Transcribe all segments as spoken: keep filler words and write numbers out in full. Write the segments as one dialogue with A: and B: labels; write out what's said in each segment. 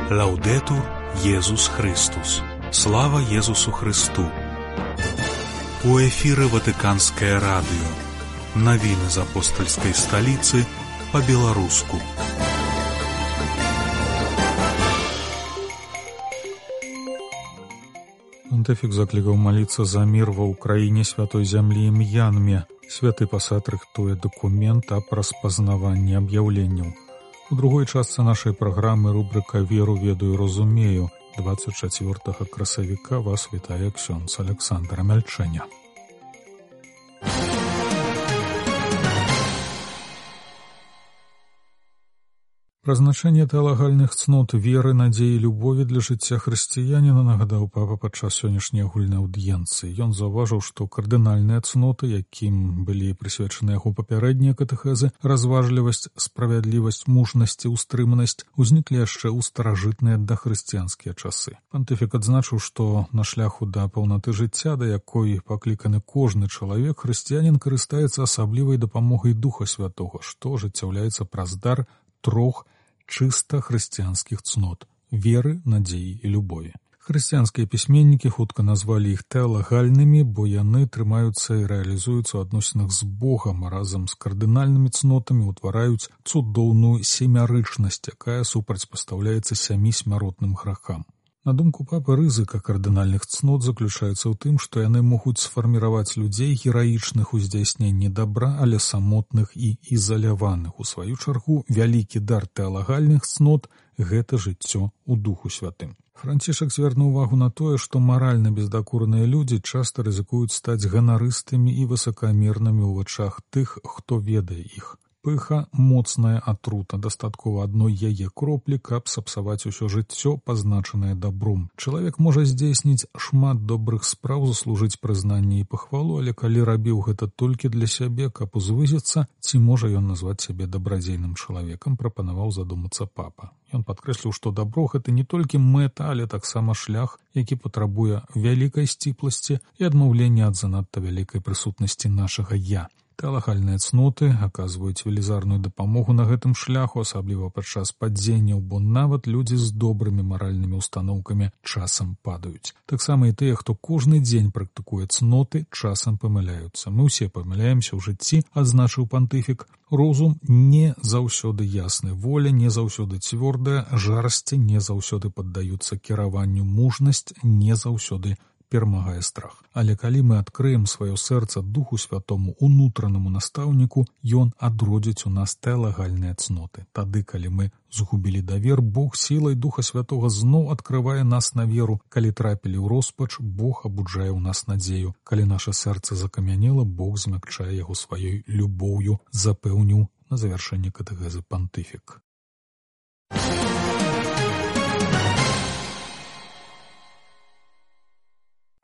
A: Лаўдэтур Езус Христус. Слава Езусу Христу. У эфіры Ватыканскае радыё. Навіны з апостальскай сталіцы па-беларуску.
B: Пантыфік заклікаў маліцца за мір ва ўкраіне, святой зямлі і М'янме. Святы пасад рыхтуе дакумент аб распазнаванні аб'яўленняў. У другой частцы нашай праграмы рубрыка «Веру, ведаю, разумею». двадцать чацвёртага красавіка вас вітае ксёндз Александр Мяльчэня. Прызначэнне тэалагальных цнот веры, надзеі, любові для жыцця хрысціяніна нагадаў папа падчас сённяшняй агульнай аўдыенцыі. Ён заўважыў, што кардынальныя цноты, якім былі прысвечаны яго папярэднія катэхезы, разважлівасць, справядлівасць, мужнасць і ўстрыманасць, узніклі яшчэ ў старажытныя дахрысціянскія часы. Пантыфік адзначыў, што на шляху да паўнаты жыцця, да якой пакліканы кожны чалавек, хрысціянін карыстаецца асаблівай дапамогай Духа Святога, што ажыццяўляецца праз дар трох чыста хрысціянскіх цнот – веры, надзеі і любові. Хрысціянскія пісьменнікі хутка назвалі іх тэалагальнымі, бо яны трымаюцца і рэалізуюцца ў адносінах з Богам, а разам з кардынальнымі цнотамі ўтвараюць цудоўную семярычнасць, якая супрацьпастаўляецца сямі смяротным грахам. На думку папы, рызыка кардынальных цнот заключаецца ў тым, што яны могуць сфарміраваць людзей гераічных у здзяйсненні дабра, але самотных і ізаляваных. У сваю чаргу, вялікі дар тэалагальных цнот – гэта жыццё ў Духу Святым. Францішак звярнуў увагу на тое, што маральна бездакорныя людзі часта рызыкуюць стаць ганарыстымі і высакамернымі ў вачах тых, хто ведае іх. Пыха – моцная атрута, дастаткова адной яе кроплі, каб сапсаваць усё жыццё, пазначанае дабром. Чалавек можа здзейсніць шмат добрых спраў, заслужыць прызнанне і пахвалу, але калі рабіў гэта толькі для сябе, каб узвызіцца, ці можа ён назваць сябе дабрадзейным чалавекам, прапанаваў задумацца папа. Ён падкрэсліў, што дабро – гэта не толькі мэта, але таксама шлях, які патрабуе вялікай сціпласці і адмаўлення ад занадта вялікай прысутнасці нашага «я». Тэалагальныя цноты аказваюць велізарную дапамогу на гэтым шляху, асабліва падчас падзенняў, бо нават людзі з добрымі маральнымі ўстаноўкамі часам падаюць. Таксама і тыя, хто кожны дзень практыкуе цноты, часам памыляюцца. Мы ўсе памыляемся ў жыцці, адзначыў пантыфік. Розум не заўсёды ясны, воля не заўсёды цвёрдая, жарсці не заўсёды паддаюцца кіраванню, мужнасць не заўсёды перамагае страх. Але калі мы адкрыем сваё сэрца Духу Святому, унутранаму настаўніку, ён адродзіць у нас тэалагальныя цноты. Тады, калі мы згубілі давер, Бог сілай Духа Святога зноў адкрывае нас на веру. Калі трапілі ў роспач, Бог абуджае ў нас надзею. Калі наша сэрца закамянела, Бог змякчае яго сваёй любоўю, запэўніў на завяршэнне катэхезы пантыфік.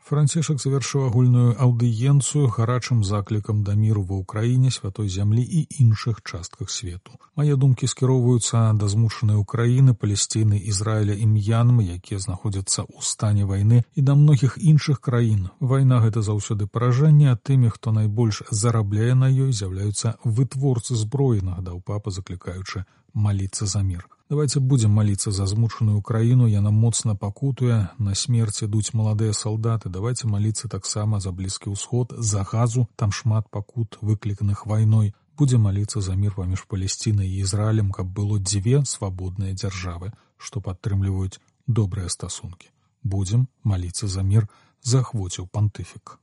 B: Францішак завяршыў агульную аўдыенцыю гарачым заклікам да міру ва ўкраіне, святой зямлі і іншых частках свету. Мае думкі скіроўваюцца да змучанай Украіны, Палесціны, Ізраіля і М'янмы, якія знаходзяцца ў стане вайны, і да многіх іншых краін. Вайна – гэта заўсёды паражэнне, а тымі, хто найбольш зарабляе на ёй, з'яўляюцца вытворцы зброі, нагадаў папа, заклікаючы маліцца за мір. Давайте будем молиться за змучаную Украину, яна моцна пакутуе, на смерць ідуць маладыя салдаты. Давайте молиться таксама за Блізкі ўсход, за Газу, там шмат пакут, выкліканых вайной. Будем молиться за мір паміж Палесцінай і Ізраілем, каб было дзве свабодныя дзяржавы, што падтрымліваюць добрыя стасункі. Будем молиться за мір, заахвоціў пантыфік.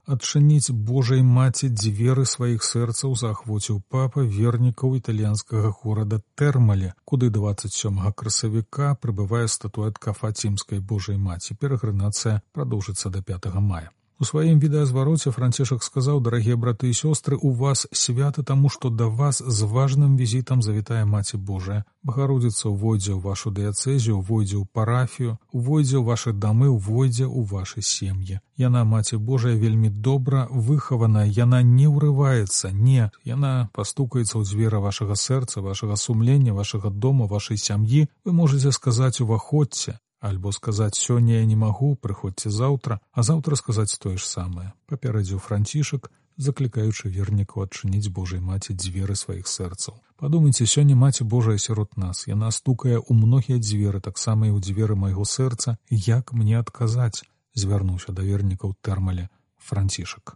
B: Адчыніць Божай маці дзверы сваіх сэрцаў заахвоціў папа вернікаў італьянскага горада Тэрмале, куды дваццаць сёмага красавіка прыбывае статуэтка Фацімскай Божай маці. Перагранацыя прадоўжыцца да пятага мая. У сваім відэазвароце Францішак сказаў: «Дарагія браты і сёстры, у вас свята таму, што да вас з важным візітам завітае Маці Божая. Багародзіца ўвойдзе ў вашу дыяцэзію, увойдзе ў парафію, увойдзе ў вашы дамы, увойдзе ў вашы сем'і. Яна, Маці Божая, вельмі добра выхаваная, яна не ўрываецца, не, яна пастукаецца ў дзверы вашага сэрца, вашага сумлення, вашага дома, вашай сям'і. Вы можаце сказаць: уваходзьце. Альбо сказаць: сёння я не магу, прыходзьце заўтра, а заўтра сказаць тое ж самае. Папярэдзіў Францішак, заклікаючы вернікаў адчыніць Божай маці дзверы сваіх сэрцаў. Падумайце, сёння Маці Божая сярод нас. Яна стукае ў многія дзверы, таксама і ў дзверы майго сэрца. Як мне адказаць? Звярнуўся да вернікаў Тэрмале Францішак.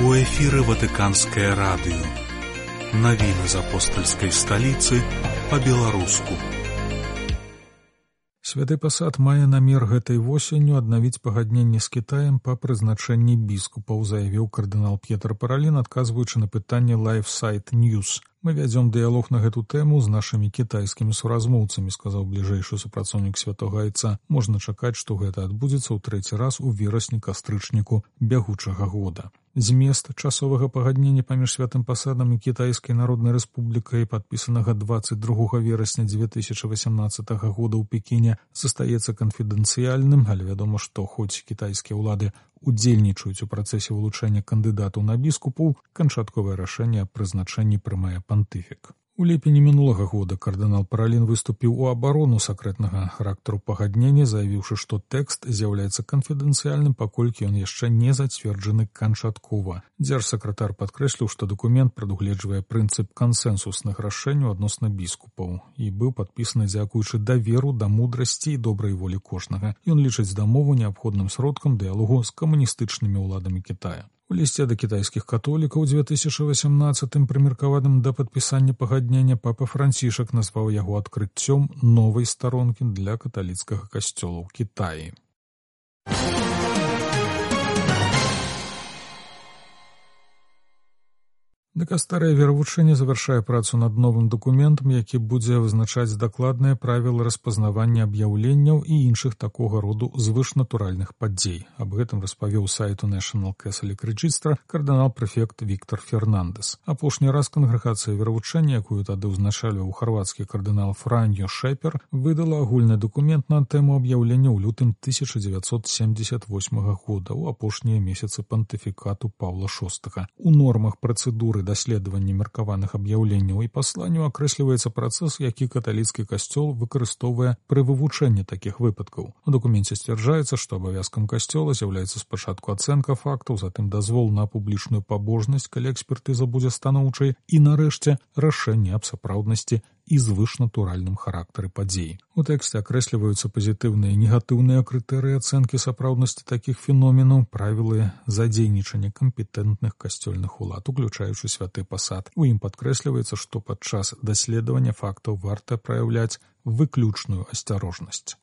A: У эфіры Ватыканскае радыё. Навіны з апостальскай сталіцы па-беларуску.
B: Святы пасад мае намер гэтай восенню аднавіць пагадненне з Кітаем па прызначэнні біскупаў, заявіў кардынал П'етр Паралін, адказваючы на пытанне LifeSite News. Мы вядзём дыялог на гэту тэму з нашымі кітайскімі суразмоўцамі, сказаў бліжэйшы супрацоўнік Святога Айца. Можна чакаць, што гэта адбудзецца ў трэці раз у верасні-кастрычніку бягучага года. Змест часовага пагаднення паміж святым пасадам і Кітайскай Народнай Рэспублікай, падпісанага дваццаць другога верасня дзве тысячы васямнаццатага года ў Пекіне, застаецца канфідэнцыяльным, але вядома, што хоць кітайскія ўлады удзельнічаюць у працэсе вылучэння кандыдатаў на біскупаў, канчатковае рашэнне аб прызначэнні прымае пантыфік. У ліпені мінулага года кардынал Паралін выступіў у абарону сакрэтнага характару пагаднення, заявіўшы, што тэкст з'яўляецца канфідэнцыяльным, паколькі ён яшчэ не зацверджаны канчаткова. Дзяржсакратар падкрэсліў, што дакумент прадугледжвае прынцып кансэнсусных рашэнняў адносна біскупаў і быў падпісаны дзякуючы даверу да мудрасці і добрай волі кожнага. Ён лічыць дамову неабходным сродкам дыялогу з камуністычнымі ўладамі Кітая. У лісце да кітайскіх католікаў у дзве тысячы васямнаццатым, прымеркаваным да падпісання пагаднення, папа Францішак назваў яго адкрыццём новай старонкі для каталіцкага касцёла ў Кітаі. Дыкастэрыя веравучэння завяршае працу над новым дакументам, які будзе вызначаць дакладныя правілы распазнавання аб'яўленняў і іншых такога роду звышнатуральных падзей. Аб гэтым распавёў сайту National Catholic Register кардынал-прэфект Віктор Фернандес. Апошні раз кангрэгацыя веравучэння, якую тады ўзначальваў харвацкі кардынал Франьо Шэпер, выдала агульны дакумент на тэму аб'яўлення ў лютым тысяча дзевяцьсот семдзесят восьмага года, у апошнія месяцы пантыфікату Паўла шостага. У нормах працэдуры даследавання меркаваных аб'яўленняў і пасланняў акрэсліваецца працэс, які каталіцкі касцёл выкарыстоўвае пры вывучэнні такіх выпадкаў. У дакуменце сцвярджаецца, што абавязкам касцёла з'яўляецца спачатку ацэнка фактаў, затым дазвол на публічную пабожнасць, калі экспертыза будзе станоўчай, і нарэшце рашэнне аб сапраўднасці і звышнатуральным характары падзеі. У тэксце акрэсліваюцца пазітыўныя і негатыўныя крытэрыі ацэнкі сапраўднасці такіх феноменаў, правілы задзейнічання кампетэнтных касцёльных улад, уключаючы святы пасад. У ім падкрэсліваецца, што падчас даследавання фактаў варта праяўляць выключную асцярожнасць.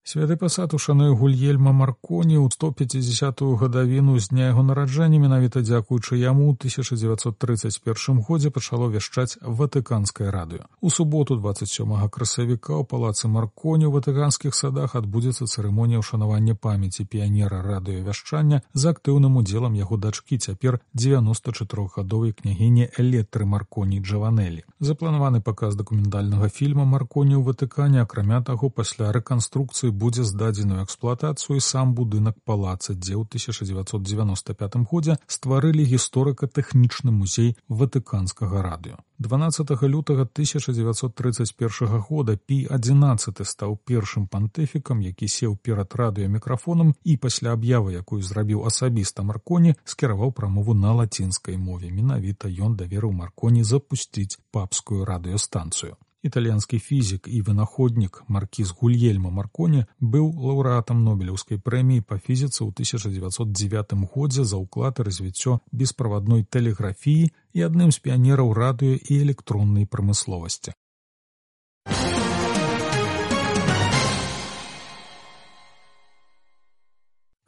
B: Святы пасад ушануе Гульельма Марконі ў сто пяцідзясятую гадавіну з дня яго нараджэння. Менавіта дзякуючы яму ў тысяча дзевяцьсот трыццаць першым годзе пачало вяшчаць Ватыканскае радыё. У суботу дваццаць сёмага красавіка ў палацы Марконі ў Ватыканскіх садах адбудзецца цырымонія ўшанавання памяці піянера радыёвяшчання з актыўным удзелам яго дачкі, цяпер дзевяноста чатырохгадовай княгіні Элетры Марконі Джаванелі. Запланаваны паказ дакументальнага фільма Марконі ў Ватыкане, акрамя таго, пасля рэканструкцыі будзе здадзены ў эксплуатацыю сам будынак палаца, дзе ў тысяча дзевяцьсот дзевяноста пятым годзе стварылі гісторыка-тэхнічны музей Ватыканскага радыё. дванаццатага лютага тысяча дзевяцьсот трыццаць першага года Пій адзінаццаты стаў першым пантыфікам, які сеў перад радыёмікрафонам і пасля аб'явы, якую зрабіў асабіста Марконі, скіраваў прамову на лацінскай мове. Менавіта ён даверыў Марконі запусціць папскую радыёстанцыю. Італьянскі фізік і вынаходнік маркіз Гульельма Марконі быў лаўрэатам Нобелеўскай прэміі па фізіцы ў тысяча дзевяцьсот дзевятым годзе за ўклад і развіццё бесправадной тэлеграфіі і адным з піянераў радыё і электроннай прамысловасці.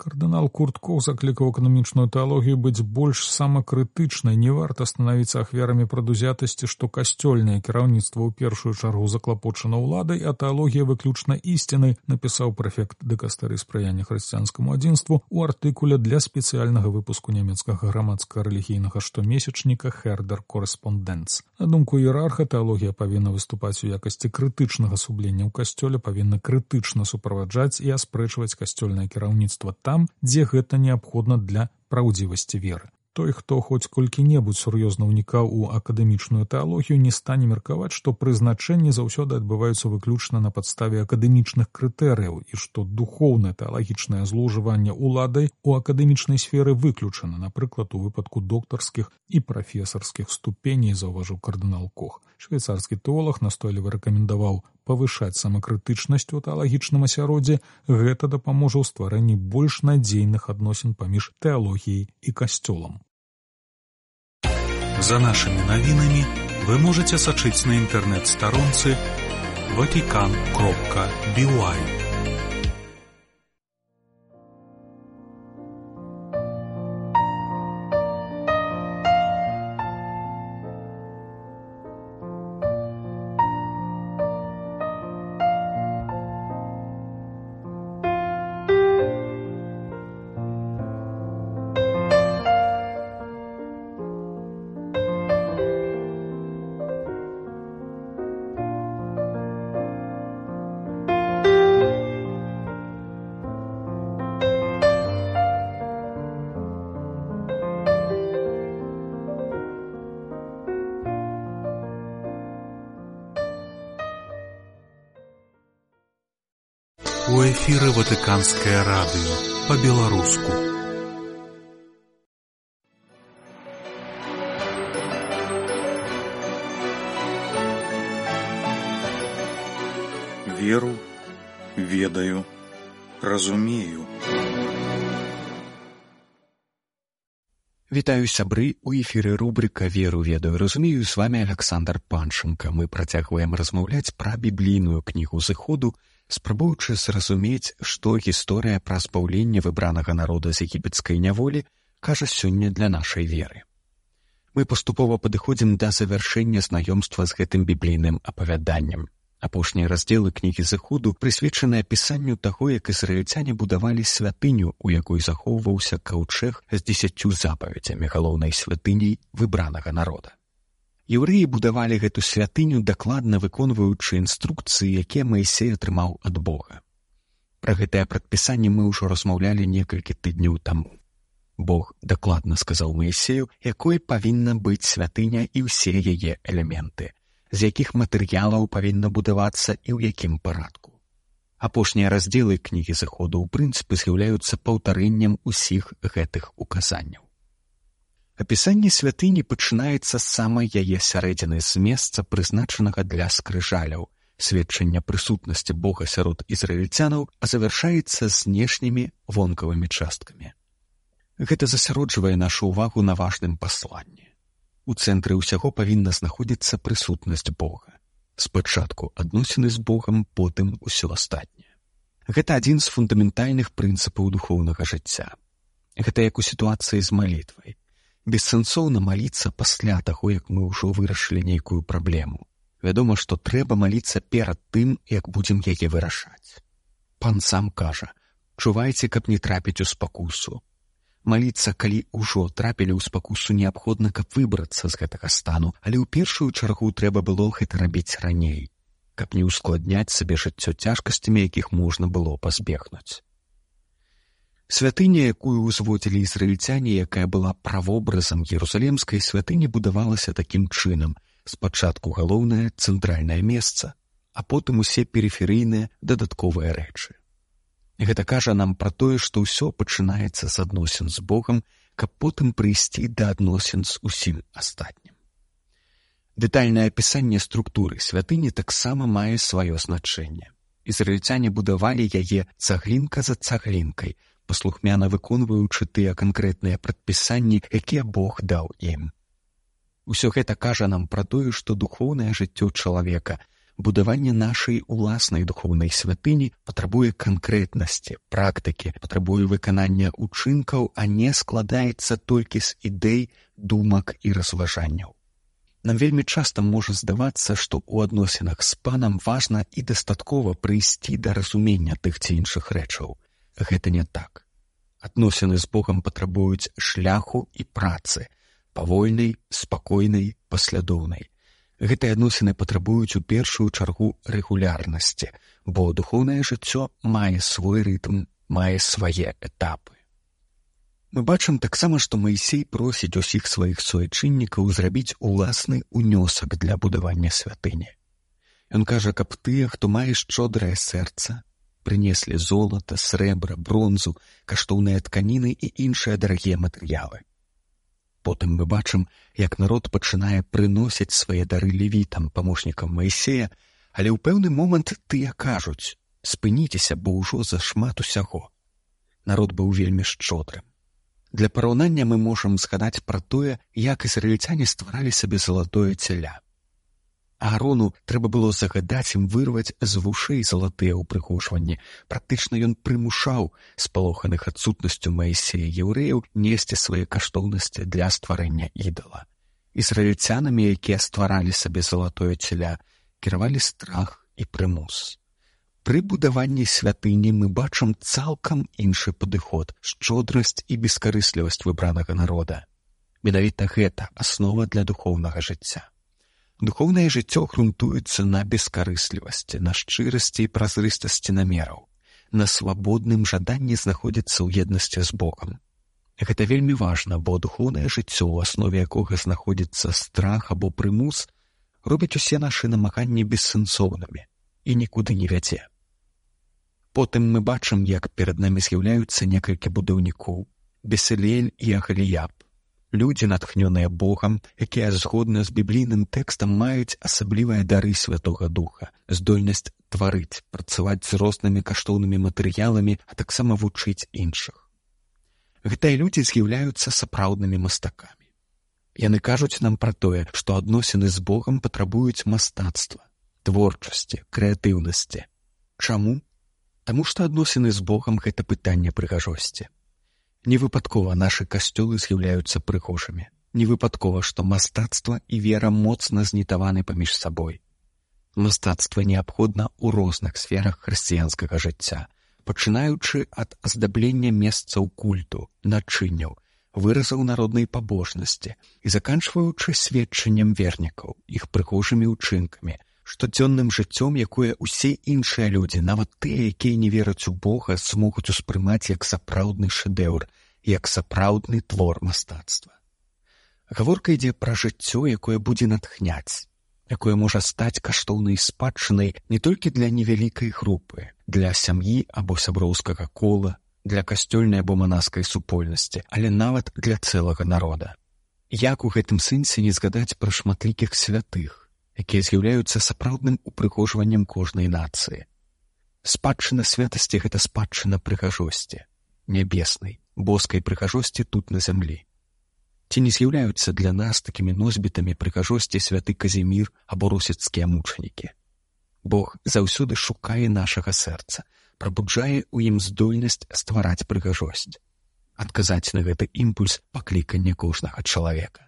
B: Кардынал Курт Кох заклікаў эканамічную тэалогію быць больш самакрытычнай. Не варта станавіцца ахвярамі прадузятасці, што касцёльнае кіраўніцтва ў першую чаргу заклапочана ўладай, а тэалогія выключна ісцінай, напісаў прэфект дыкастэрыі спрыяння хрысціянскаму адзінству ў артыкуле для спецыяльнага выпуску нямецкага грамадска-рэлігійнага штомесячніка «Хердер Корреспонденц». На думку іерарха, тэалогія павінна выступаць у якасці крытычнага сублення ў касцёле, павінна крытычна суправаджаць і аспрэчваць касцёльнае кіраўніцтва там, дзе гэта неабходна для праўдзівасці веры. Той, хто хоць колькі-небудзь сур'ёзна ўнікаў у акадэмічную тэалогію, не стане меркаваць, што прызначэнні заўсёды адбываюцца выключна на падставе акадэмічных крытэрыяў і што духоўнае тэалагічнае злоўжыванне ўладай у акадэмічнай сферы выключана, напрыклад, у выпадку доктарскіх і прафесарскіх ступеней, заўважыў кардынал Кох. Швейцарскі тэолаг настойліва рэкамендаваў павышаць самакрытычнасць у тэалагічным асяроддзі, гэта дапаможа ў стварэнні больш надзейных адносін паміж тэалогіяй і касцёлам.
A: За нашими новинами вы можете сачыць на интернет-сторонце ватикан кропка би уай. У эфіры Ватыканскае радыё па-беларуску. Веру, ведаю, разумею.
C: Вітаю, сябры, у эфіры рубрика «Веру, ведаю, разумею». З вами Александр Панченко. Мы працягваем размаўляць пра біблійную кнігу Зыходу, спрабуючы зразумець, што гісторыя пра збаўленне выбранага народа з егіпецкай няволі кажа сёння для нашай веры. Мы паступова падыходзім да завяршэння знаёмства з гэтым біблійным апавяданнем. Апошнія раздзелы кнігі Зыходу прысвечаны апісанню таго, як ізраільцяне будавалі святыню, у якой захоўваўся каўчэг з дзесяццю запаведзямі, галоўнай святыняй выбранага народа. Еўрэі будавалі гэту святыню, дакладна выконваючы інструкцыі, якія Маісей атрымаў ад Бога. Пра гэтае прадпісанне мы ўжо размаўлялі некалькі тыдняў таму. Бог дакладна сказаў Маісею, якой павінна быць святыня і ўсе яе элементы, з якіх матэрыялаў павінна будавацца і ў якім парадку. Апошнія раздзелы кнігі Зыходу ў прынцыпе з'яўляюцца паўтарэннем усіх гэтых указанняў. Апісанне святыні пачынаецца з самай яе сярэдзіны, з месца, прызначанага для скрыжаляў, сведчання прысутнасці Бога сярод ізраільцянаў, а завяршаецца знешнімі вонкавымі часткамі. Гэта засяроджвае нашу ўвагу на важным пасланні. У цэнтры ўсяго павінна знаходзіцца прысутнасць Бога. Спачатку адносіны з Богам, потым усё астатняе. Гэта адзін з фундаментальных прынцыпаў духоўнага жыцця. Гэта як у сітуацыі з малітвай. Бессэнсоўна маліцца пасля таго, як мы ўжо вырашылі нейкую праблему. Вядома, што трэба маліцца перад тым, як будзем яе вырашаць. Пан сам кажа: чувайце, каб не трапіць у спакусу. Маліцца, калі ўжо трапілі ў спакусу, неабходна, каб выбрацца з гэтага стану, але ў першую чаргу трэба было гэта рабіць раней, каб не ўскладняць сабе жыццё цяжкасцямі, якіх можна было пазбегнуць. Святыня, якую ўзводзілі ізраільцяне, якая была правобразам Ерусалемскай святыні, будавалася такім чынам: спачатку галоўнае цэнтральнае месца, а потым усе перыферыйныя дадатковыя рэчы. Гэта кажа нам пра тое, што ўсё пачынаецца з адносін з Богам, каб потым прыйсці да адносін з усім астатнім. Дэтальнае апісанне структуры святыні таксама мае сваё значэнне. Ізраільцяне будавалі яе цаглінка за цаглінкай, паслухмяна выконваючы тыя канкрэтныя прадпісанні, якія Бог даў ім. Усё гэта кажа нам пра тое, што духоўнае жыццё чалавека, будаванне нашай уласнай духоўнай святыні патрабуе канкрэтнасці, практыкі, патрабуе выканання ўчынкаў, а не складаецца толькі з ідэй, думак і разважанняў. Нам вельмі часта можа здавацца, што ў адносінах з Панам важна і дастаткова прыйсці да разумення тых ці іншых рэчаў. Гэта не так. Адносіны з Богам патрабуюць шляху і працы, павольнай, спакойнай, паслядоўнай. Гэтыя адносіны патрабуюць у першую чаргу рэгулярнасці, бо духоўнае жыццё мае свой рытм, мае свае этапы. Мы бачым таксама, што Маісей просіць усіх сваіх суайчыннікаў зрабіць уласны ўнёсак для будавання святыні. Ён кажа, каб тыя, хто мае шчодрае сэрца, прынеслі золата, срэбра, бронзу, каштоўныя тканіны і іншыя дарагія матэрыялы. Потым мы бачым, як народ пачынае прыносіць свае дары левітам, памочнікам Маісея, але ў пэўны момант тыя кажуць: спыніцеся, бо ўжо зашмат усяго. Народ быў вельмі шчодрым. Для параўнання мы можам згадаць пра тое, як ізраільцяне стваралі сабе залатое цяля. Аарону трэба было загадаць ім вырваць з вушэй залатыя ўпрыгожванні. Практычна ён прымушаў спалоханых адсутнасцю Маісея яўрэяў несці свае каштоўнасці для стварэння ідала. Ізраільцянамі, якія стваралі сабе залатое цяля, кіравалі страх і прымус. Пры будаванні святыні мы бачым цалкам іншы падыход, шчодрасць і бескарыслівасць выбранага народа. Менавіта гэта аснова для духоўнага жыцця. Духоўнае жыццё грунтуецца на бескарыслівасці, на шчырасці і празрыстасці намераў, на свабодным жаданні знаходзіцца ў еднасці з Богам. Гэта вельмі важна, бо духоўнае жыццё, у аснове якога знаходзіцца страх або прымус, робіць усе нашы намаганні бессэнсоўнымі і нікуды не вядзе. Потым мы бачым, як перад намі з'яўляюцца некалькі будаўнікоў: Бесалель і Ахаліяб, людзі, натхнёныя Богам, якія згодна з біблійным тэкстам маюць асаблівыя дары Святога Духа, здольнасць тварыць, працаваць з рознымі каштоўнымі матэрыяламі, а таксама вучыць іншых. Гэтыя людзі з'яўляюцца сапраўднымі мастакамі. Яны кажуць нам пра тое, што адносіны з Богам патрабуюць мастацтва, творчасці, крэатыўнасці. Чаму? Таму што адносіны з Богам — гэта пытанне прыгажосці. Невыпадкова нашы касцёлы з'яўляюцца прыгожымі. Невыпадкова, што мастацтва і вера моцна знітаваны паміж сабой. Мастацтва неабходна ў розных сферах хрысціянскага жыцця, пачынаючы ад аздаблення месцаў культу, начынняў, выразаў народнай пабожнасці і заканчваючы сведчаннем вернікаў, іх прыгожымі ўчынкамі, штодзённым жыццём, якое ўсе іншыя людзі, нават тыя, якія не вераць у Бога, змогуць успрымаць як сапраўдны шэдэўр, як сапраўдны твор мастацтва. Гаворка ідзе пра жыццё, якое будзе натхняць, якое можа стаць каштоўнай спадчынай не толькі для невялікай групы, для сям'і або сяброўскага кола, для касцёльнай або манаскай супольнасці, але нават для цэлага народа. Як у гэтым сэнсе не згадаць пра шматлікіх святых, якія з'яўляюцца сапраўдным упрыгожваннем кожнай нацыі. Спадчына святасці — гэта спадчына прыгажосці, нябеснай, боскай прыгажосці тут на зямлі. Ці не з'яўляюцца для нас такімі носьбітамі прыгажосці святы Казімір або русіцкія мучанікі? Бог заўсёды шукае нашага сэрца, прабуджае ў ім здольнасць ствараць прыгажосць. Адказаць на гэты імпульс — пакліканне кожнага чалавека.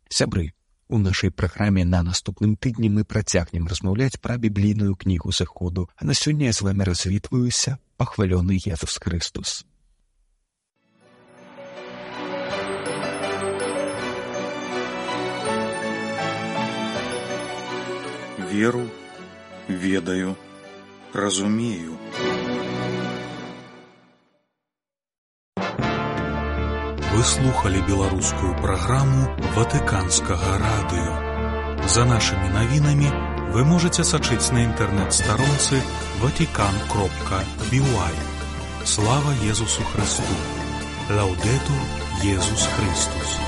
C: Сябры, у нашай праграме на наступным тыдні мы працягнем размаўляць пра біблійную кнігу Зыходу, а на сёння я з вамі развітваюся. Пахвалёны Езус Хрыстус.
A: Веру, ведаю, разумею. Вы слухали беларускую праграму Ватыканскага радыё. За нашымі навінамі вы можаце сачыць на інтэрнэт-старонцы ватикан кропка би уай. Слава Езусу Христу! Лаўдэтур Езус Христус!